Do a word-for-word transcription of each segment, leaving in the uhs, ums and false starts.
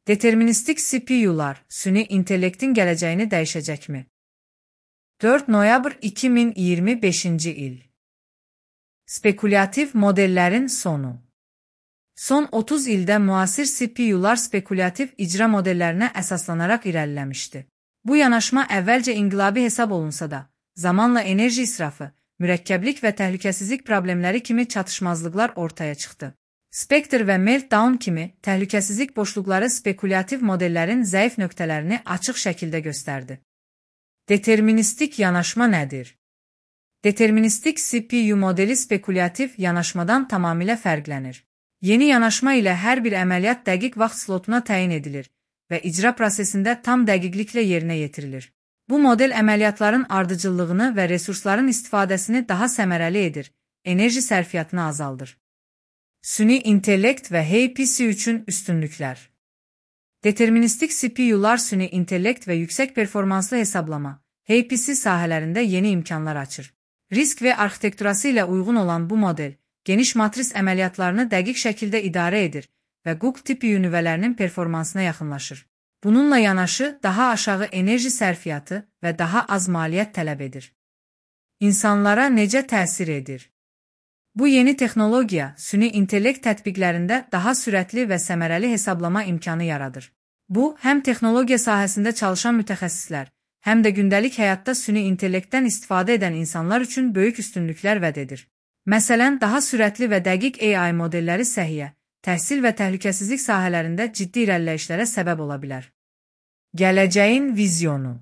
Deterministik C P U'lar süni intellektin gələcəyini dəyişəcəkmi? dörd noyabr iki min iyirmi beşinci il. Spekulyativ modellərin sonu. Son otuz ildə müasir C P U'lar spekulyativ icra modellərinə əsaslanaraq irəliləmişdi. Bu yanaşma əvvəlcə inqilabi hesab olunsa da, zamanla enerji israfı, mürəkkəblik və təhlükəsizlik problemləri kimi çatışmazlıqlar ortaya çıxdı. Spectre və Meltdown kimi təhlükəsizlik boşluqları spekulyativ modellərin zəif nöqtələrini açıq şəkildə göstərdi. Deterministik yanaşma nədir? Deterministik C P U modeli spekulyativ yanaşmadan tamamilə fərqlənir. Yeni yanaşma ilə hər bir əməliyyat dəqiq vaxt slotuna təyin edilir və icra prosesində tam dəqiqliklə yerinə yetirilir. Bu model əməliyyatların ardıcıllığını və resursların istifadəsini daha səmərəli edir, enerji sərfiyyatını azaldır. Süni intellekt və H P C üçün üstünlüklər. Deterministik C P U'lar süni intellekt və yüksək performanslı hesablama, H P C sahələrində yeni imkanlar açır. Risk və arxitekturası ilə uyğun olan bu model, geniş matris əməliyyatlarını dəqiq şəkildə idarə edir və Google tipi nüvələrinin performansına yaxınlaşır. Bununla yanaşı, daha aşağı enerji sərfiyyatı və daha az maliyyət tələb edir. İnsanlara necə təsir edir? Bu yeni texnologiya, süni intellekt tətbiqlərində daha sürətli və səmərəli hesablama imkanı yaradır. Bu, həm texnologiya sahəsində çalışan mütəxəssislər, həm də gündəlik həyatda süni intellektdən istifadə edən insanlar üçün böyük üstünlüklər vəd edir. Məsələn, daha sürətli və dəqiq A I modelləri səhiyyə, təhsil və təhlükəsizlik sahələrində ciddi irəliləyişlərə səbəb ola bilər. Gələcəyin vizyonu.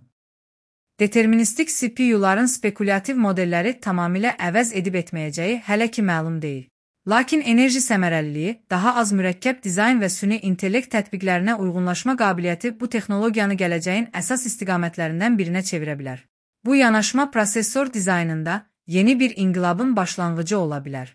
Deterministik C P U'ların spekulyativ modelləri tamamilə əvəz edib etməyəcəyi hələ ki məlum deyil. Lakin enerji səmərəliliyi, daha az mürəkkəb dizayn və süni intellekt tətbiqlərinə uyğunlaşma qabiliyyəti bu texnologiyanı gələcəyin əsas istiqamətlərindən birinə çevirə bilər. Bu yanaşma prosesor dizaynında yeni bir inqilabın başlanğıcı ola bilər.